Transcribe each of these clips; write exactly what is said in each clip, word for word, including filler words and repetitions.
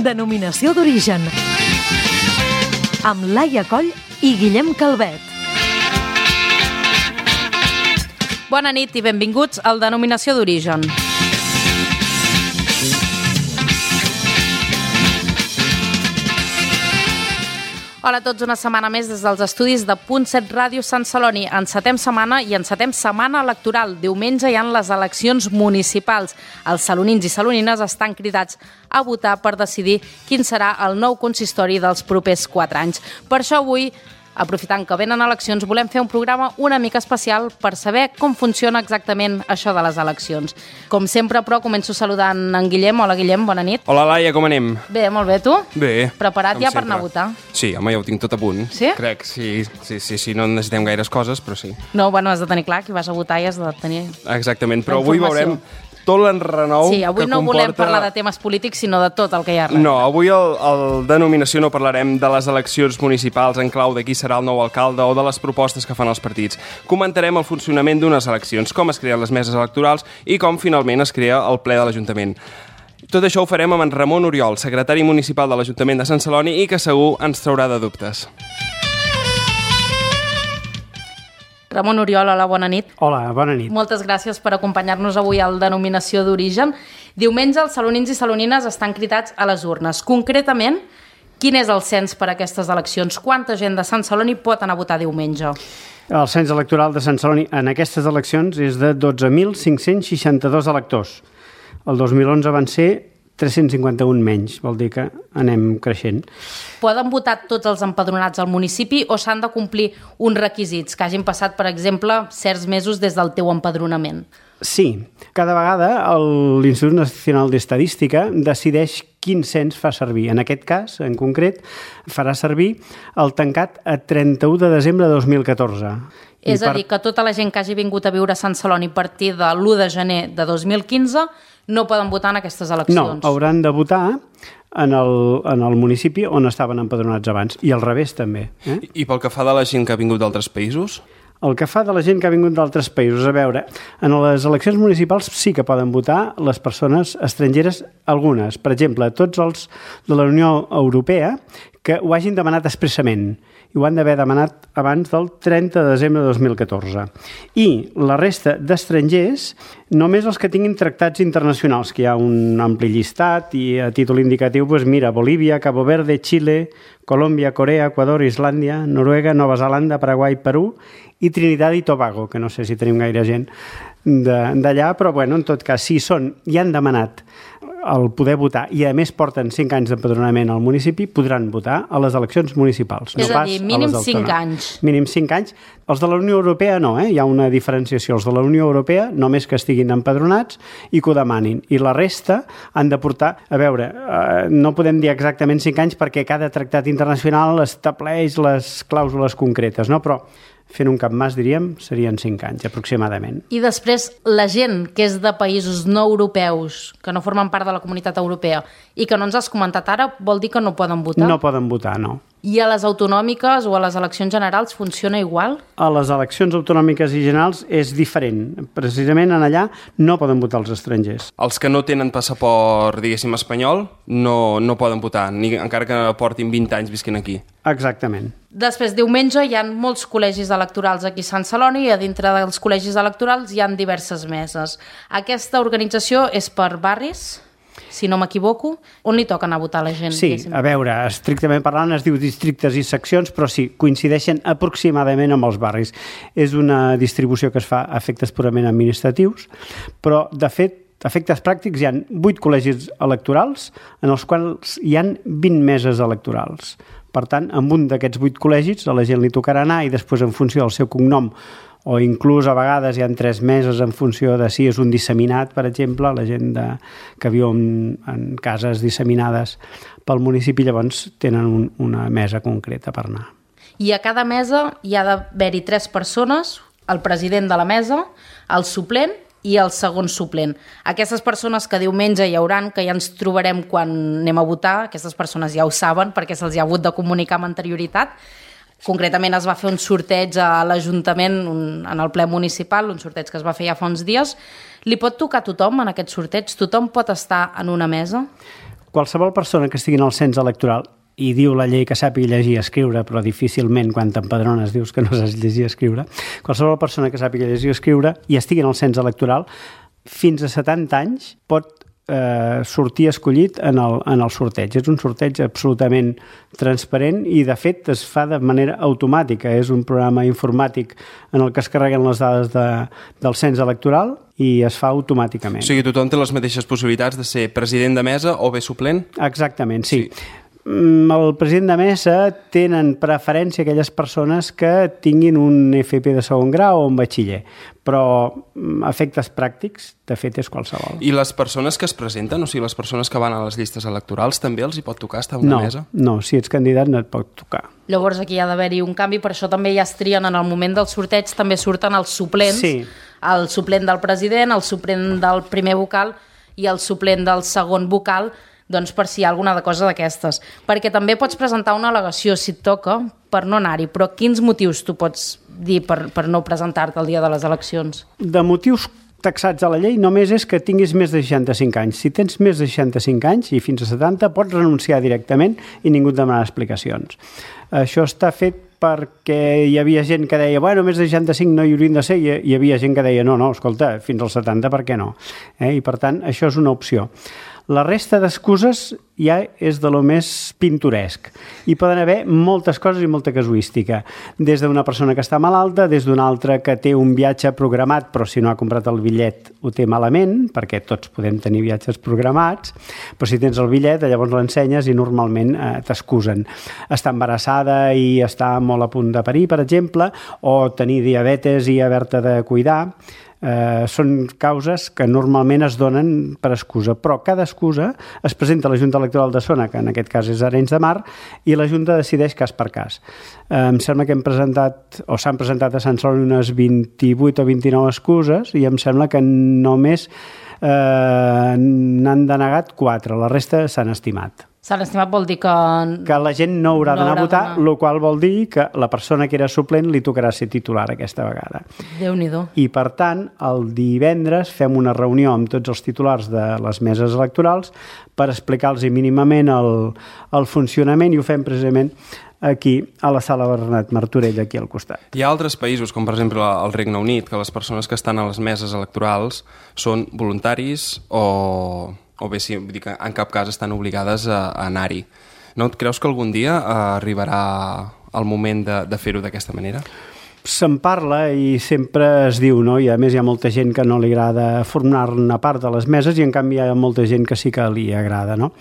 Denominació d'origen. Amb Laia Coll i Guillem Calvet. Bona nit i benvinguts al Denominació d'origen. Hola a tots, una setmana més des dels estudis de Punt set Ràdio Sant Celoni. Encetem setmana i encetem setmana electoral. Diumenge hi ha les eleccions municipals. Els salonins i salonines estan cridats a votar per decidir quin serà el nou consistori dels propers quatre anys. Per això avui, aprofitant que venen eleccions, volem fer un programa una mica especial per saber com funciona exactament això de les eleccions. Com sempre, però, començo saludant en Guillem. Hola, Guillem, bona nit. Hola, Laia, com anem? Bé, molt bé, tu? Bé. Preparat ja per anar a votar? Sí, home, ja ho tinc tot a punt. Sí? Crec, sí, sí, sí, sí, no necessitem gaires coses, però sí. No, bueno, has de tenir clar que vas a votar i has de tenir... Exactament, però avui veurem tot l'enrenou sí, avui que no comporta... volem parlar de temes polítics, sinó de tot el que hi ha. No, avui el, el Denominació no parlarem de les eleccions municipals en clau de qui serà el nou alcalde o de les propostes que fan els partits. Comentarem el funcionament d'unes eleccions, com es creen les meses electorals i com finalment es crea el ple de l'Ajuntament. Tot això ho farem amb en Ramon Oriol, secretari municipal de l'Ajuntament de Sant Celoni i que segur ens traurà de dubtes. Ramon Oriol, hola, bona nit. Hola, bona nit. Moltes gràcies per acompanyar-nos avui al Denominació d'origen. Diumenge els salonins i salonines estan cridats a les urnes. Concretament, quin és el cens per a aquestes eleccions? Quanta gent de Sant Celoni pot anar a votar diumenge? El cens electoral de Sant Celoni en aquestes eleccions és de dotze mil cinc-cents seixanta-dos electors. El dos mil onze van ser tres-cents cinquanta-un menys, vol dir que anem creixent. Poden votar tots els empadronats al municipi o s'han de complir uns requisits que hagin passat, per exemple, certs mesos des del teu empadronament? Sí, cada vegada l'Institut Nacional d'Estadística decideix quin cens fa servir. En aquest cas, en concret, farà servir el tancat a trenta-u de desembre de dos mil catorze. És a dir, que tota la gent que hagi vingut a viure a Sant Celoni a partir de l'u de gener de dos mil quinze no poden votar en aquestes eleccions. No, hauran de votar en el, en el municipi on estaven empadronats abans, i al revés també. Eh? I, I pel que fa de la gent que ha vingut d'altres països? El que fa de la gent que ha vingut d'altres països, a veure, en les eleccions municipals sí que poden votar les persones estrangeres, algunes. Per exemple, tots els de la Unió Europea que ho hagin demanat expressament, i ho han d'haver demanat abans del trenta de desembre de dos mil catorze. I la resta d'estrangers, només els que tinguin tractats internacionals, que hi ha un ampli llistat, i a títol indicatiu, doncs mira, Bolívia, Cabo Verde, Xile, Colòmbia, Corea, Equador, Islàndia, Noruega, Nova Zelanda, Paraguai, Perú i Trinitat i Tobago, que no sé si tenim gaire gent d'allà, però bueno, en tot cas, si són i han demanat el poder votar i a més porten cinc anys d'empadronament al municipi, podran votar a les eleccions municipals. És no a dir, mínim cinc anys. Mínim cinc anys. Els de la Unió Europea no, eh? Hi ha una diferenciació. Els de la Unió Europea només que estiguin empadronats i que ho demanin. I la resta han de portar... A veure, eh, no podem dir exactament cinc anys perquè cada tractat internacional estableix les clàusules concretes, no? Però fent un capmàs, diríem, serien cinc anys, aproximadament. I després, la gent que és de països no europeus, que no formen part de la comunitat europea, i que no ens has comentat ara, vol dir que no poden votar? No poden votar, no. I a les autonòmiques o a les eleccions generals funciona igual? A les eleccions autonòmiques i generals és diferent. Precisament en allà no poden votar els estrangers. Els que no tenen passaport, diguéssim, espanyol, no, no poden votar, ni encara que portin vint anys visquent aquí. Exactament. Després, diumenge, hi ha molts col·legis electorals aquí a Sant Celoni i a dintre dels col·legis electorals hi ha diverses meses. Aquesta organització és per barris, si no m'equivoco. On li toca anar a votar la gent? Sí, a veure, estrictament parlant es diu districtes i seccions, però sí, coincideixen aproximadament amb els barris. És una distribució que es fa a efectes purament administratius, però, de fet, a efectes pràctics hi ha vuit col·legis electorals en els quals hi ha vint meses electorals. Per tant, en un d'aquests vuit col·legis a la gent li tocarà anar i després, en funció del seu cognom, o inclús a vegades hi ha tres meses en funció de si és un disseminat, per exemple, la gent de, que viu en, en cases disseminades pel municipi, llavors tenen un, una mesa concreta per anar. I a cada mesa hi ha d'haver-hi tres persones, el president de la mesa, el suplent i el segon suplent. Aquestes persones que diumenge hi hauran, que ja ens trobarem quan anem a votar, aquestes persones ja ho saben perquè se'ls ha hagut de comunicar amb anterioritat. Concretament es va fer un sorteig a l'Ajuntament en el ple municipal, un sorteig que es va fer ja fa uns dies. Li pot tocar a tothom en aquest sorteig? Tothom pot estar en una mesa? qualsevol persona que estigui en el cens electoral, i diu la llei que sàpiga llegir i escriure, però difícilment quan t'empadrones dius que no saps llegir i escriure, qualsevol persona que sàpiga llegir i escriure i estigui en el cens electoral, fins a setanta anys pot eh, sortir escollit en el, en el sorteig. És un sorteig absolutament transparent i, de fet, es fa de manera automàtica. És un programa informàtic en el que es carreguen les dades de, del cens electoral i es fa automàticament. O sigui, tothom té les mateixes possibilitats de ser president de mesa o bé suplent? Exactament, sí. Sí. El president de mesa tenen preferència aquelles persones que tinguin un F P de segon grau o un batxiller, però efectes pràctics, de fet, és qualsevol. I les persones que es presenten, o sigui, les persones que van a les llistes electorals, també els hi pot tocar estar a una no, mesa? No, si ets candidat no et pot tocar. Llavors aquí hi ha d'haver-hi un canvi, per això també ja es trien en el moment del sorteig, també surten els suplents, sí. El suplent del president, el suplent del primer vocal i el suplent del segon vocal, doncs per si hi ha alguna cosa d'aquestes. Perquè també pots presentar una al·legació, si et toca, per no anar-hi, però quins motius tu pots dir per, per no presentar-te el dia de les eleccions? De motius taxats a la llei només és que tinguis més de seixanta-cinc anys. Si tens més de seixanta-cinc anys i fins a setanta, pots renunciar directament i ningú et demanarà explicacions. Això està fet perquè hi havia gent que deia bueno, més de seixanta-cinc no hi haurien de ser, i hi havia gent que deia no, no, escolta, fins als setanta per què no? Eh? I per tant, això és una opció. La resta d'excuses ja és de lo més pintoresc. Hi poden haver moltes coses i molta casuística. Des d'una persona que està malalta, des d'una altra que té un viatge programat, però si no ha comprat el bitllet ho té malament, perquè tots podem tenir viatges programats, però si tens el bitllet llavors l'ensenyes i normalment eh, t'excusen. Està embarassada i està molt a punt de parir, per exemple, o tenir diabetes i haver-te de cuidar. Eh, són causes que normalment es donen per excusa, però cada excusa es presenta a la Junta Electoral de Zona, que en aquest cas és Arenys de Mar, i la Junta decideix cas per cas. Eh, em sembla que hem presentat, o s'han presentat a Sant Celoni unes vint-i-vuit o vint-i-nou excuses, i em sembla que només eh, n'han denegat quatre, la resta s'han estimat. S'han estimat vol dir que... Que la gent no haurà no d'anar a haurà votar, d'anar. el qual vol dir que la persona que era suplent li tocarà ser titular aquesta vegada. Déu-n'hi-do. I, per tant, el divendres fem una reunió amb tots els titulars de les meses electorals per explicar-los mínimament el, el funcionament, i ho fem precisament aquí, a la sala Bernat Martorell, aquí al costat. Hi ha altres països, com per exemple el Regne Unit, que les persones que estan a les meses electorals són voluntaris o... o bé, sí, vull dir que en cap cas estan obligades a, a anar-hi. No et creus que algun dia eh, arribarà el moment de, de fer-ho d'aquesta manera? Se'n parla i sempre es diu, no? I a més hi ha molta gent que no li agrada formar-ne part de les meses i en canvi hi ha molta gent que sí que li agrada, no?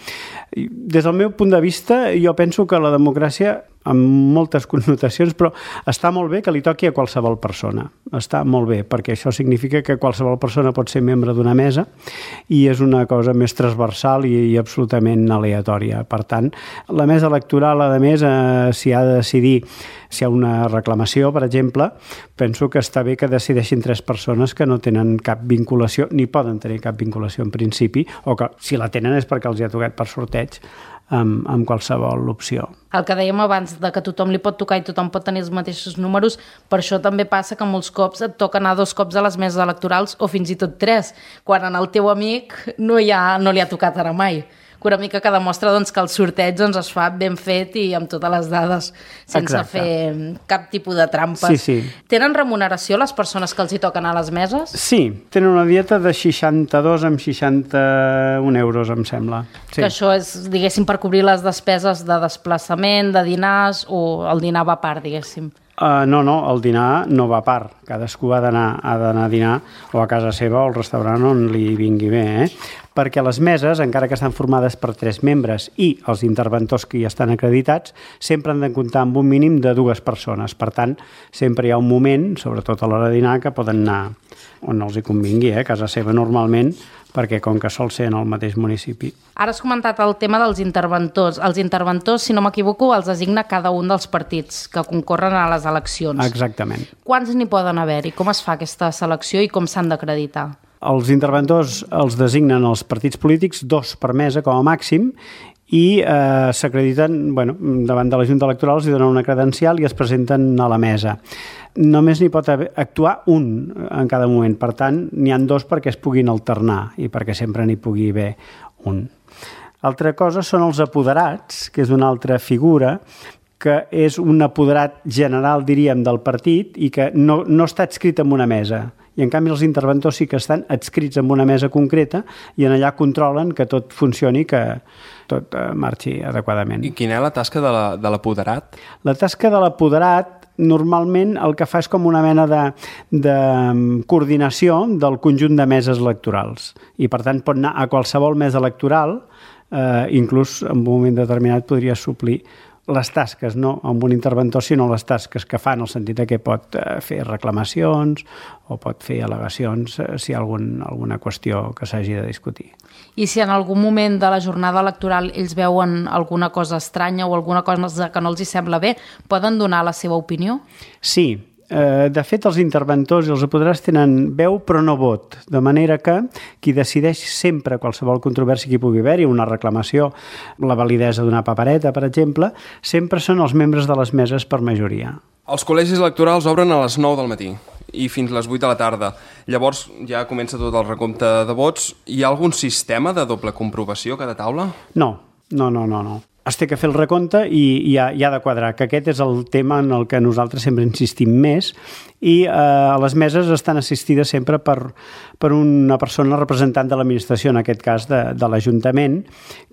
Des del meu punt de vista, jo penso que la democràcia, amb moltes connotacions, però està molt bé que li toqui a qualsevol persona. Està molt bé, perquè això significa que qualsevol persona pot ser membre d'una mesa i és una cosa més transversal i, i absolutament aleatòria. Per tant, la mesa electoral, a més, eh, si ha de decidir si hi ha una reclamació, per exemple, penso que està bé que decideixin tres persones que no tenen cap vinculació, ni poden tenir cap vinculació en principi, o que si la tenen és perquè els hi ha tocat per sorteig, amb, amb qualsevol opció. El que dèiem abans, de que tothom li pot tocar i tothom pot tenir els mateixos números, per això també passa que molts cops et toca anar dos cops a les meses electorals o fins i tot tres, quan en el teu amic no, hi ha, no li ha tocat ara mai. Una mica que demostra doncs, que el sorteig doncs, es fa ben fet i amb totes les dades, sense Exacte. fer cap tipus de trampes. Sí, sí. Tenen remuneració les persones que els hi toquen a les meses? Sí, tenen una dieta de seixanta-dos amb seixanta-un euros, em sembla. Sí. Que això és, diguéssim, per cobrir les despeses de desplaçament, de dinars, o el dinar va a part, diguéssim? Uh, no, no, el dinar no va a part. Cadascú ha d'anar ha d'anar a dinar o a casa seva o al restaurant on li vingui bé, eh? Perquè les meses, encara que estan formades per tres membres i els interventors que hi estan acreditats, sempre han de comptar amb un mínim de dues persones. Per tant, sempre hi ha un moment, sobretot a l'hora de dinar, que poden anar on els hi convingui, eh? A casa seva normalment, perquè com que sol ser en el mateix municipi. Ara has comentat el tema dels interventors. Els interventors, si no m'equivoco, els designa cada un dels partits que concorren a les eleccions. Exactament. Quants n'hi poden haver-hi? Com es fa aquesta selecció i com s'han d'acreditar? Els interventors els designen els partits polítics, dos per mesa com a màxim, i eh, s'acrediten, bueno, davant de la Junta Electoral, els donen una credencial i es presenten a la mesa. Només n'hi pot haver, actuar un en cada moment, per tant, n'hi han dos perquè es puguin alternar i perquè sempre n'hi pugui haver un. Altra cosa són els apoderats, que és una altra figura, que és un apoderat general, diríem, del partit i que no, no està adscrit en una mesa. I, en canvi, els interventors sí que estan adscrits en una mesa concreta i en allà controlen que tot funcioni, que tot eh, marxi adequadament. I quina és la tasca de la, de l'apoderat? La tasca de l'apoderat normalment el que fa és com una mena de, de coordinació del conjunt de meses electorals. I, per tant, pot anar a qualsevol mesa electoral, eh, inclús en un moment determinat podria suplir les tasques, no amb un interventor, sinó les tasques que fa, en el sentit que pot fer reclamacions o pot fer al·legacions si hi ha algun, alguna qüestió que s'hagi de discutir. I si en algun moment de la jornada electoral ells veuen alguna cosa estranya o alguna cosa que no els hi sembla bé, poden donar la seva opinió? Sí. De fet, els interventors i els apoderats tenen veu però no vot, de manera que qui decideix sempre qualsevol controvèrsia que hi pugui haver-hi, una reclamació, la validesa d'una papereta, per exemple, sempre són els membres de les meses per majoria. Els col·legis electorals obren a les nou del matí i fins les vuit de la tarda. Llavors ja comença tot el recompte de vots. Hi ha algun sistema de doble comprovació a cada taula? No, no, no, no, no. Es té que fer el recompte i, i, ha, i ha de quadrar, que aquest és el tema en el que nosaltres sempre insistim més, i eh, a les meses estan assistides sempre per, per una persona representant de l'administració, en aquest cas de, de l'Ajuntament,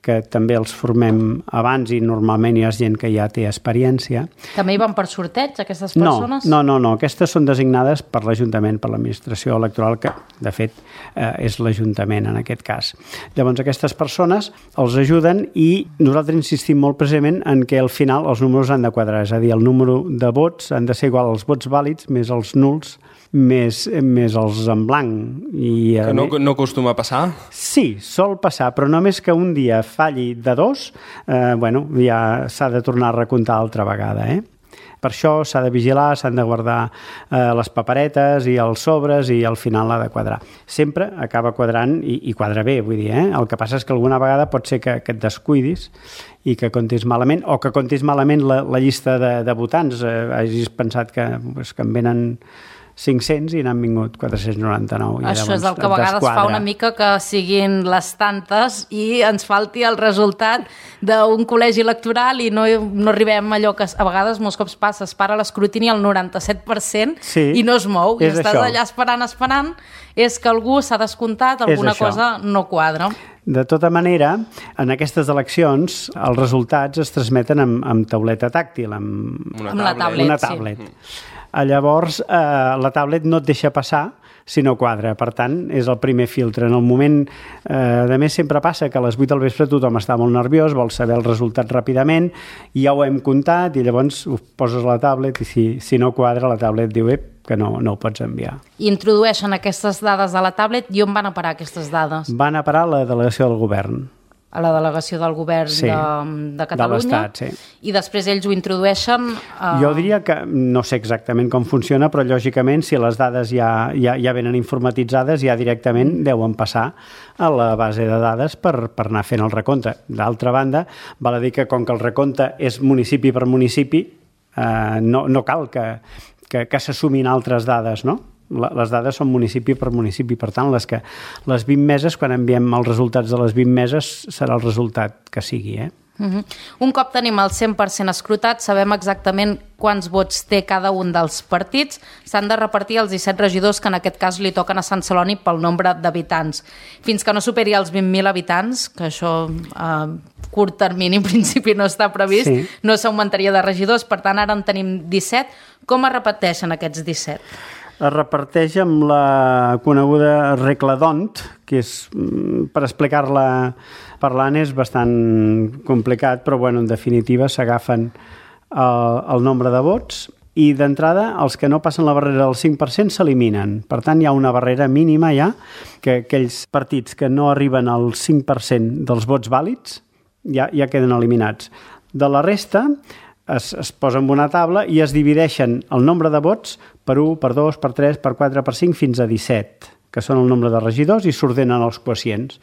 que també els formem abans i normalment hi ha gent que ja té experiència. També hi van per sorteig, aquestes persones? No, no, no, no. Aquestes són designades per l'Ajuntament, per l'administració electoral, que de fet eh, és l'Ajuntament en aquest cas. Llavors aquestes persones els ajuden i nosaltres insistim molt precisament en què al final els números han de quadrar, és a dir, el número de vots han de ser igual als vots vàlids més els nuls més, més els en blanc. I, que no, no acostuma a passar? Sí, sol passar, però només que un dia falli de dos, eh, bueno, ja s'ha de tornar a recomptar altra vegada, eh? Per això s'ha de vigilar, s'han de guardar eh, les paperetes i els sobres i al final l'ha de quadrar. Sempre acaba quadrant i, i quadra bé, vull dir, eh? El que passa és que alguna vegada pot ser que, que et descuidis i que comptis malament, o que comptis malament la, la llista de, de votants. Eh, hagis pensat que, pues, que en venen cinc-cents i n'han vingut quatre-cents noranta-nou. Això és el que a vegades fa una mica que siguin les tantes i ens falti el resultat d'un col·legi electoral i no, no arribem a allò que a vegades molts cops passa, es para l'escrutini al noranta-set per cent sí, i no es mou, i estàs això. allà esperant, esperant, és que algú s'ha descomptat, alguna cosa no quadra. De tota manera, en aquestes eleccions els resultats es transmeten amb, amb tauleta tàctil, amb, una amb la tablet. Una tablet. Sí. Llavors, eh, la tablet no et deixa passar si no quadra. Per tant, és el primer filtre. En el moment, eh, de més, sempre passa que a les vuit del vespre tothom està molt nerviós, vol saber el resultat ràpidament, i ja ho hem comptat, i llavors ho poses a la tablet, i si, si no quadra, la tablet diu ep, que no, no ho pots enviar. I introdueixen aquestes dades a la tablet, i on van a parar aquestes dades? Van a parar a la delegació del govern. A la delegació del govern sí, de, de Catalunya, de l'Estat, sí. I després ells ho introdueixen... A... Jo diria que no sé exactament com funciona, però lògicament si les dades ja, ja, ja venen informatitzades, ja directament deuen passar a la base de dades per, per anar fent el recompte. D'altra banda, val a dir que com que el recompte és municipi per municipi, eh, no, no cal que, que, que s'assumin altres dades, no? Les dades són municipi per municipi, per tant, les, que, les vint meses, quan enviem els resultats de les vint meses, serà el resultat que sigui, eh? Uh-huh. Un cop tenim el cent per cent escrutat, sabem exactament quants vots té cada un dels partits. S'han de repartir els disset regidors que en aquest cas li toquen a Sant Celoni pel nombre d'habitants. Fins que no superi els vint mil habitants, que això a curt termini en principi no està previst, sí, no s'augmentaria de regidors, per tant ara en tenim disset. Com es repeteixen aquests disset? Es reparteix amb la coneguda regla d'Hondt, que és, per explicar-la parlant és bastant complicat, però bueno, en definitiva s'agafen el, el nombre de vots i d'entrada els que no passen la barrera del cinc per cent s'eliminen. Per tant, hi ha una barrera mínima ja, que aquells partits que no arriben al cinc per cent dels vots vàlids ja, ja queden eliminats. De la resta... Es, es posa en una taula i es divideixen el nombre de vots per u, per dos, per tres, per quatre, per cinc, fins a disset, que són el nombre de regidors, i s'ordenen els quocients.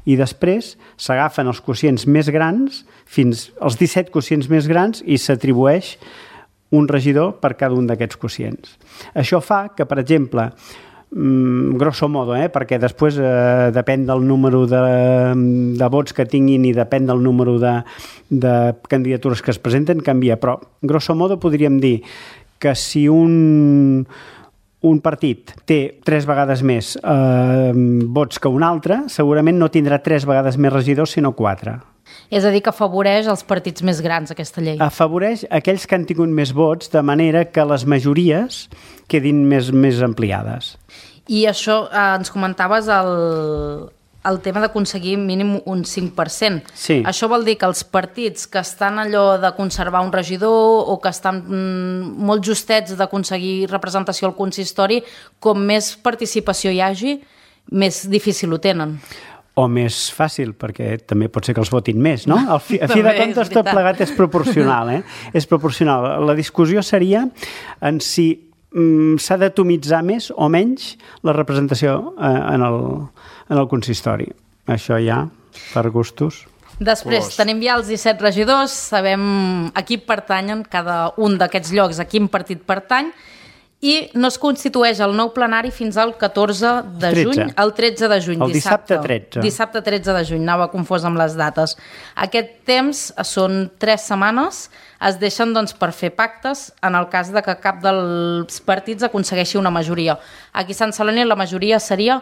I després s'agafen els quocients més grans, fins als disset quocients més grans, i s'atribueix un regidor per cada un d'aquests quocients. Això fa que, per exemple, mm, grosso modo, eh? Perquè després eh, depèn del número de, de vots que tinguin i depèn del número de, de candidatures que es presenten, canvia. Però, grosso modo, podríem dir que si un, un partit té tres vegades més eh, vots que un altre, segurament no tindrà tres vegades més regidors, sinó quatre. És a dir, que afavoreix els partits més grans, aquesta llei. Afavoreix aquells que han tingut més vots, de manera que les majories quedin més, més ampliades. I això, eh, ens comentaves el, el tema d'aconseguir mínim un cinc per cent. Sí. Això vol dir que els partits que estan allò de conservar un regidor o que estan mm, molt justets d'aconseguir representació al consistori, com més participació hi hagi, més difícil ho tenen. O més fàcil, perquè també pot ser que els votin més, no? Al fi, a fi de comptes tot plegat és proporcional, eh? És proporcional. La discussió seria en si mm, s'ha d'atomitzar més o menys la representació eh, en, el, en el consistori. Això ja, per gustos. Després, Colors. Tenim ja els disset regidors, sabem a qui pertanyen cada un d'aquests llocs, a quin partit pertany, i no es constitueix el nou plenari fins al catorze de juny, el tretze de juny, el dissabte tretze. Dissabte tretze de juny, anava confós amb les dates. Aquest temps són tres setmanes, es deixen doncs, per fer pactes en el cas de que cap dels partits aconsegueixi una majoria. Aquí a Sant Celoni la majoria seria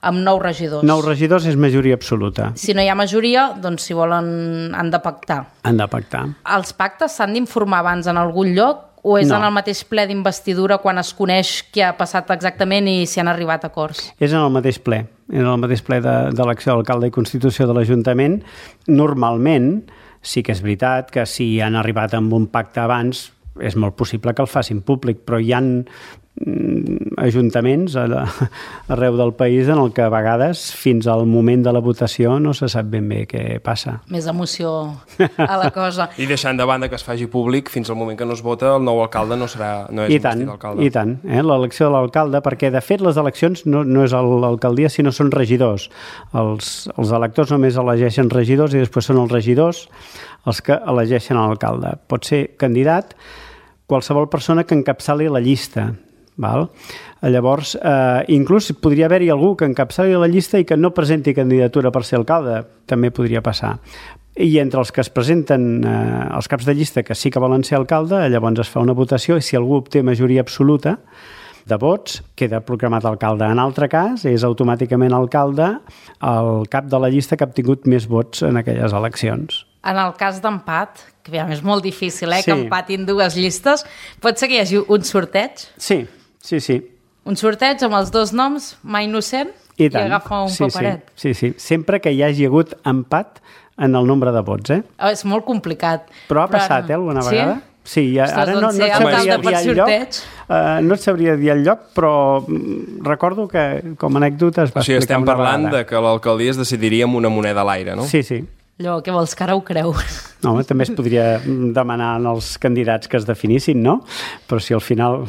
amb nou regidors. Nou regidors és majoria absoluta. Si no hi ha majoria, doncs si volen han de pactar. Han de pactar. Els pactes s'han d'informar abans en algun lloc o és no. en el mateix ple d'investidura quan es coneix què ha passat exactament i si han arribat a acords? És en el mateix ple. En el mateix ple d'elecció de, d'alcalde i constitució de l'Ajuntament. Normalment, sí que és veritat que si han arribat amb un pacte abans, és molt possible que el facin públic, però hi ha ajuntaments arreu del país en el que a vegades fins al moment de la votació no se sap ben bé què passa. Més emoció a la cosa. I deixant de banda que es faci públic, fins al moment que no es vota, el nou alcalde no serà no és I tant, alcalde. I tant, eh? L'elecció de l'alcalde, perquè de fet les eleccions no, no és l'alcaldia, sinó són regidors. Els, els electors només elegeixen regidors i després són els regidors els que elegeixen l'alcalde. Pot ser candidat qualsevol persona que encapçali la llista. Val? Llavors, eh, inclús podria haver-hi algú que encapçali la llista i que no presenti candidatura per ser alcalde, també podria passar. I entre els que es presenten, eh, els caps de llista que sí que volen ser alcalde, llavors es fa una votació i si algú obté majoria absoluta de vots, queda proclamat alcalde. En altre cas, és automàticament alcalde el cap de la llista que ha obtingut més vots en aquelles eleccions. En el cas d'empat, que és molt difícil eh, sí. que empatin dues llistes, pot ser que hi hagi un sorteig? Sí, sí, sí. Un sorteig amb els dos noms, mai innocent, i, i agafa un sí, paperet. Sí, sí, sí, sempre que hi hagi hagut empat en el nombre de vots. Eh? Oh, és molt complicat. Però ha passat, eh, alguna sí? vegada? Sí, ja, Ostres, ara no, doncs no, et sabria dir el lloc, uh, no et sabria dir el lloc, però recordo que com a anècdota es va o sigui, explicar estem una parlant vegada. de que l'alcaldia es decidiria amb una moneda a l'aire, no? Sí, sí. Allò, què vols, que ara ho creu? No, home, també es podria demanar als candidats que es definissin, no? Però si al final,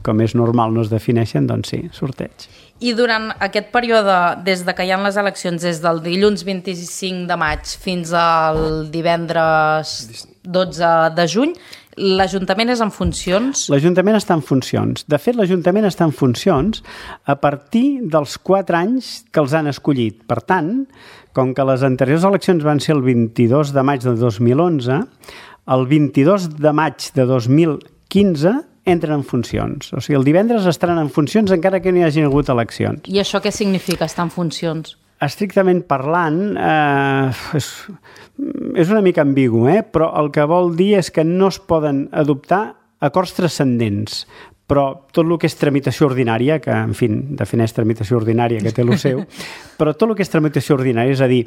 com és normal, no es defineixen, doncs sí, sorteig. I durant aquest període, des de que hi ha les eleccions, des del dilluns vint-i-cinc de maig fins al divendres dotze de juny, l'Ajuntament és en funcions? L'Ajuntament està en funcions. De fet, l'Ajuntament està en funcions a partir dels quatre anys que els han escollit. Per tant, com que les anteriors eleccions van ser el vint-i-dos de maig de dos mil onze, el vint-i-dos de maig de dos mil quinze entren en funcions. O sigui, el divendres estaran en funcions encara que no hi hagin hagut eleccions. I això què significa, estar en funcions? Estrictament parlant, eh, és, és una mica ambigu, eh? Però el que vol dir és que no es poden adoptar acords transcendents, però tot el que és tramitació ordinària, que, en fi, defineix tramitació ordinària, que té el seu, però tot el que és tramitació ordinària, és a dir,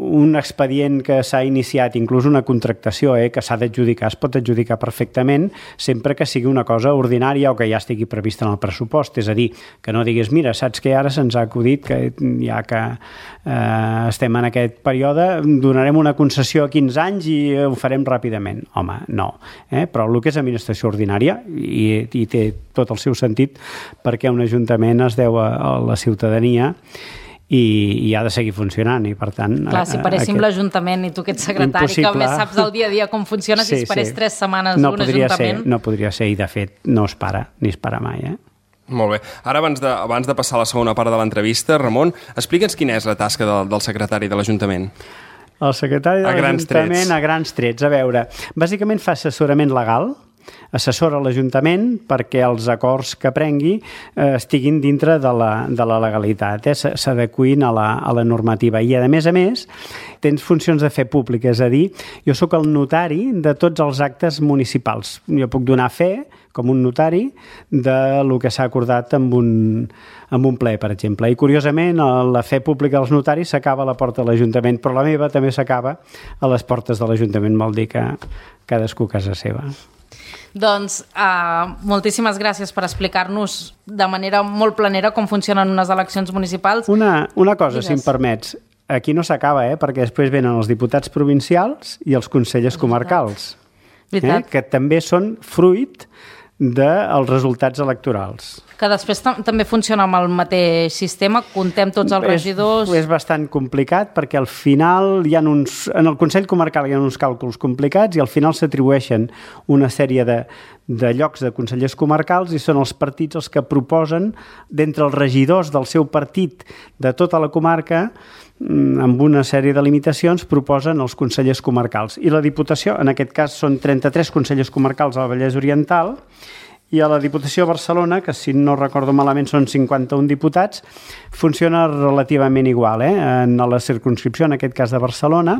un expedient que s'ha iniciat, inclús una contractació eh, que s'ha d'adjudicar, es pot adjudicar perfectament sempre que sigui una cosa ordinària o que ja estigui prevista en el pressupost. És a dir, que no diguis, mira, saps que ara se'ns ha acudit que ja que eh, estem en aquest període, donarem una concessió a quinze anys i ho farem ràpidament. Home, no. Eh? Però el que és administració ordinària, i, i té tot el seu sentit, perquè un ajuntament es deu a, a la ciutadania i, i ha de seguir funcionant i per tant... Clar, si paréssim aquest... l'Ajuntament i tu que ets secretari, impossible. Que més saps el dia a dia com funciona, sí, si es parés sí. tres setmanes no un Ajuntament... Ser, no podria ser i de fet no es para, ni es para mai, eh? Molt bé. Ara, abans de, abans de passar a la segona part de l'entrevista, Ramon, explica'ns quina és la tasca del, del secretari de l'Ajuntament. El secretari de l'Ajuntament a grans trets. A veure, bàsicament fa assessorament legal, assessora l'Ajuntament perquè els acords que prengui eh, estiguin dintre de la, de la legalitat, eh? s'adequin a, la, a la normativa. I, a més a més, tens funcions de fe pública, és a dir, jo sóc el notari de tots els actes municipals. Jo puc donar fe, com un notari, de lo que s'ha acordat amb un, amb un ple, per exemple. I, curiosament, la fe pública dels notaris s'acaba a la porta de l'Ajuntament, però la meva també s'acaba a les portes de l'Ajuntament, vol dir que cadascú a casa seva. Doncs uh, moltíssimes gràcies per explicar-nos de manera molt planera com funcionen unes eleccions municipals. Una, una cosa, Digues. si em permets. Aquí no s'acaba, eh? Perquè després venen els diputats provincials i els consellers comarcals, eh? que també són fruit dels resultats electorals. Que després tam també funciona amb el mateix sistema, contem tots els regidors... És, és bastant complicat perquè al final hi ha uns... En el Consell Comarcal hi ha uns càlculs complicats i al final s'atribueixen una sèrie de, de llocs de consellers comarcals i són els partits els que proposen d'entre els regidors del seu partit de tota la comarca amb una sèrie de limitacions, proposen els consellers comarcals. I la Diputació, en aquest cas són trenta-tres consellers comarcals al Vallès Oriental, i a la Diputació de Barcelona, que si no recordo malament són cinquanta-un diputats, funciona relativament igual. Eh? En la circumscripció, en aquest cas de Barcelona,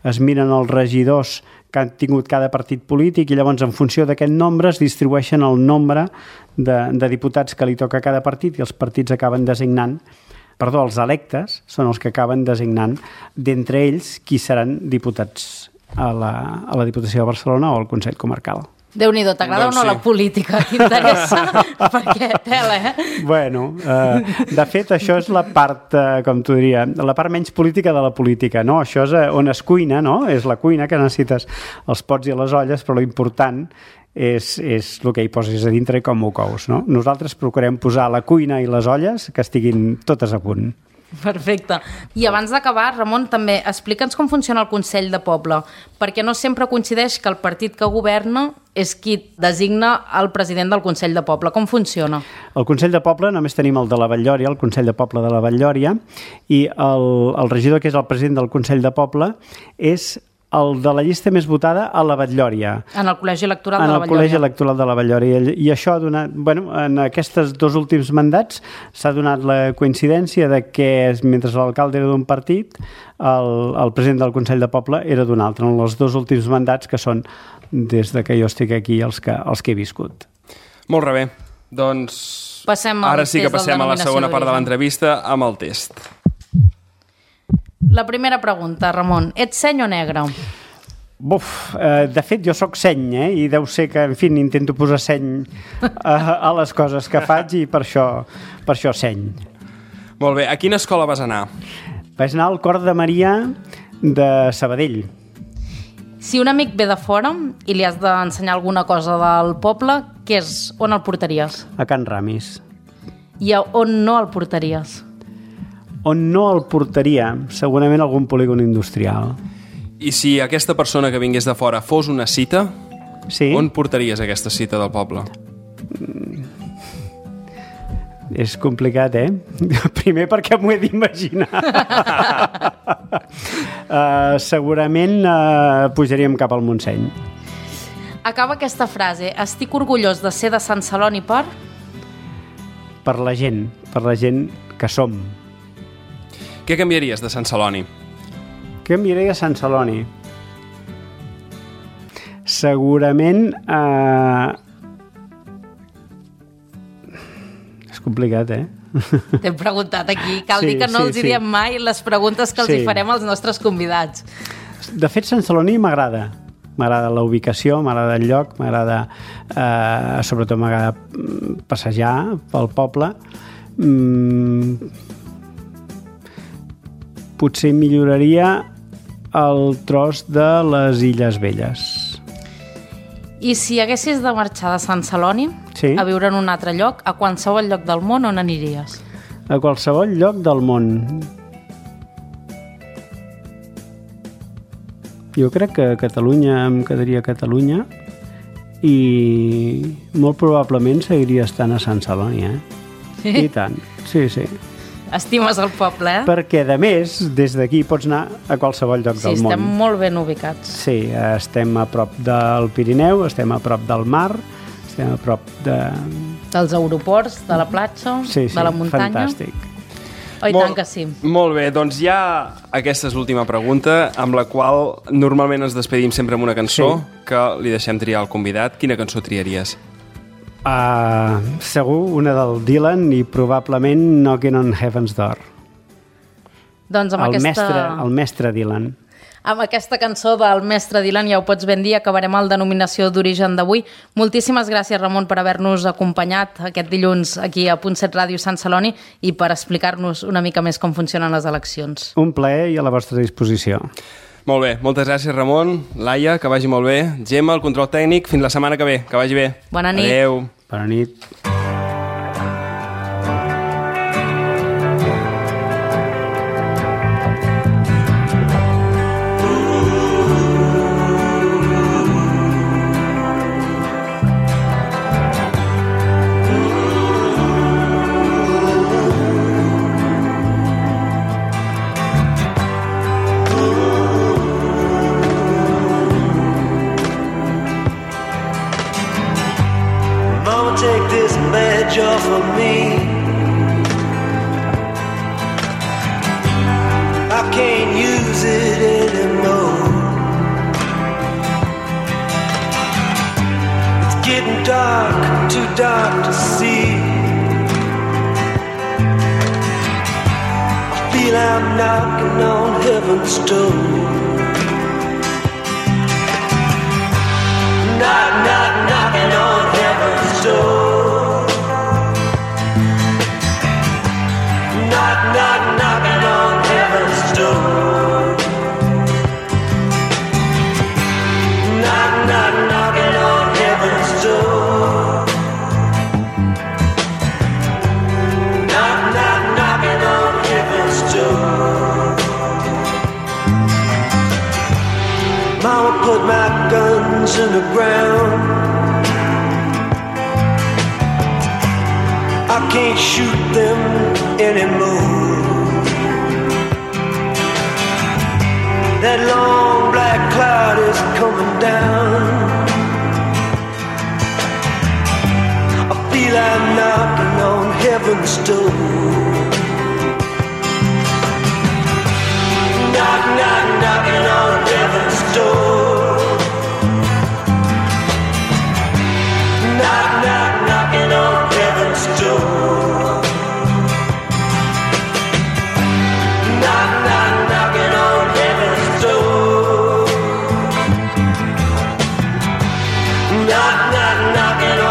es miren els regidors que han tingut cada partit polític i llavors en funció d'aquest nombre es distribueixen el nombre de, de diputats que li toca a cada partit i els partits acaben designant Perdó, els electes són els que acaben designant d'entre ells qui seran diputats a la, a la Diputació de Barcelona o al Consell Comarcal. Déu-n'hi-do, t'agrada doncs o no sí. La política? T'interessa? Perquè tela, eh? Bueno, eh, de fet, això és la part, eh, com t'ho diria, la part menys política de la política, no? Això és on es cuina, no? És la cuina que necessites els pots i les olles, però l'important és, és el que hi posis a dintre i com ho cous, no? Nosaltres procurem posar la cuina i les olles que estiguin totes a punt. Perfecte. I abans d'acabar, Ramon, també explica'ns com funciona el Consell de Poble, perquè no sempre coincideix que el partit que governa és qui designa el president del Consell de Poble. Com funciona? El Consell de Poble només tenim el de la Vall-lloria, el Consell de Poble de la Vall-lloria, i el, el regidor, que és el president del Consell de Poble, és el de la llista més votada a la Vall-lloria. En el col·legi electoral de la Vall-lloria. En el col·legi electoral de la Vall-lloria. I això ha donat, bueno, en aquests dos últims mandats s'ha donat la coincidència de que mentre l'alcalde era d'un partit, el, el president del Consell de Poble era d'un altre. En els dos últims mandats que són des de que jo estic aquí els que, els que he viscut. Molt bé. Doncs passem ara sí que passem a la segona part de l'entrevista amb el test. La primera pregunta, Ramon. Ets seny o negre? Buf, eh, de fet jo sóc seny, eh? I deu ser que, en fi, intento posar seny a, a les coses que faig i per això, per això seny. Molt bé. A quina escola vas anar? Vaig anar al Cor de Maria de Sabadell. Si un amic ve de fora i li has d'ensenyar alguna cosa del poble, què és? On el portaries? A Can Ramis. I a on no el portaries? On no el portaria? Segurament algun polígon industrial. I si aquesta persona que vingués de fora fos una cita, sí? On portaries aquesta cita del poble? Mm. És complicat, eh? Primer perquè m'ho he d'imaginar. uh, segurament uh, pujaríem cap al Montseny. Acaba aquesta frase. Estic orgullós de ser de Sant Celoni per... Per la gent, per la gent que som. Què canviaries de Sant Celoni? Què canviaria de Sant Celoni? Segurament... Eh... És complicat, eh? T'hem preguntat aquí. Cal sí, dir que no sí, els hi sí. diem mai les preguntes que els sí. hi farem als nostres convidats. De fet, Sant Celoni m'agrada. M'agrada la ubicació, m'agrada el lloc, m'agrada... Eh, sobretot m'agrada passejar pel poble. Mm... Potser milloraria el tros de les Illes Velles. I si haguessis de marxar de Sant Celoni sí. a viure en un altre lloc, a qualsevol lloc del món, on aniries? A qualsevol lloc del món. Jo crec que a Catalunya em quedaria a Catalunya i molt probablement seguiria estant a Sant Celoni, eh? Sí? I tant, sí, sí. Estimes el poble, eh? Perquè, de més, des d'aquí pots anar a qualsevol lloc Sí, del món. estem molt ben ubicats. Sí, estem a prop del Pirineu, estem a prop del mar, estem a prop de... Dels aeroports, de la platja, Sí, sí, de la muntanya. fantàstic. Oh, i tant que sí. Molt bé, doncs ja aquesta és l'última pregunta, amb la qual normalment ens despedim sempre amb una cançó Sí. que li deixem triar al convidat. Quina cançó triaries? Uh, segur una del Dylan i probablement Knocking on Heaven's Door. Doncs amb El, aquesta... mestre, el mestre Dylan. Amb aquesta cançó del mestre Dylan, ja ho pots ben dir, acabarem el Denominació d'Origen d'avui. Moltíssimes gràcies, Ramon, per haver-nos acompanyat aquest dilluns aquí a Punt set Ràdio Sant Celoni i per explicar-nos una mica més com funcionen les eleccions. Un plaer i a la vostra disposició. Molt bé, moltes gràcies, Ramon. Laia, que vagi molt bé. Gemma, el control tècnic. Fins la setmana que ve. Que vagi bé. Bona nit. Adéu. Bona nit. Take this badge off of me. I can't use it anymore. It's getting dark, too dark to see. I feel I'm knocking on heaven's door. Knock, knock, knocking on heaven's door. Knock, knock, knocking on heaven's door. Knock, knock, knocking on heaven's door. Knock, knock, knocking on heaven's door. Mama put my guns in the ground. I can't shoot them anymore. That long black cloud is coming down. I feel I'm knocking on heaven's door. Knock, knock, knocking on heaven's door. Knock, knock, knocking on heaven's door. Knock, knock, knocking on heaven's door. Knock, knock, knocking on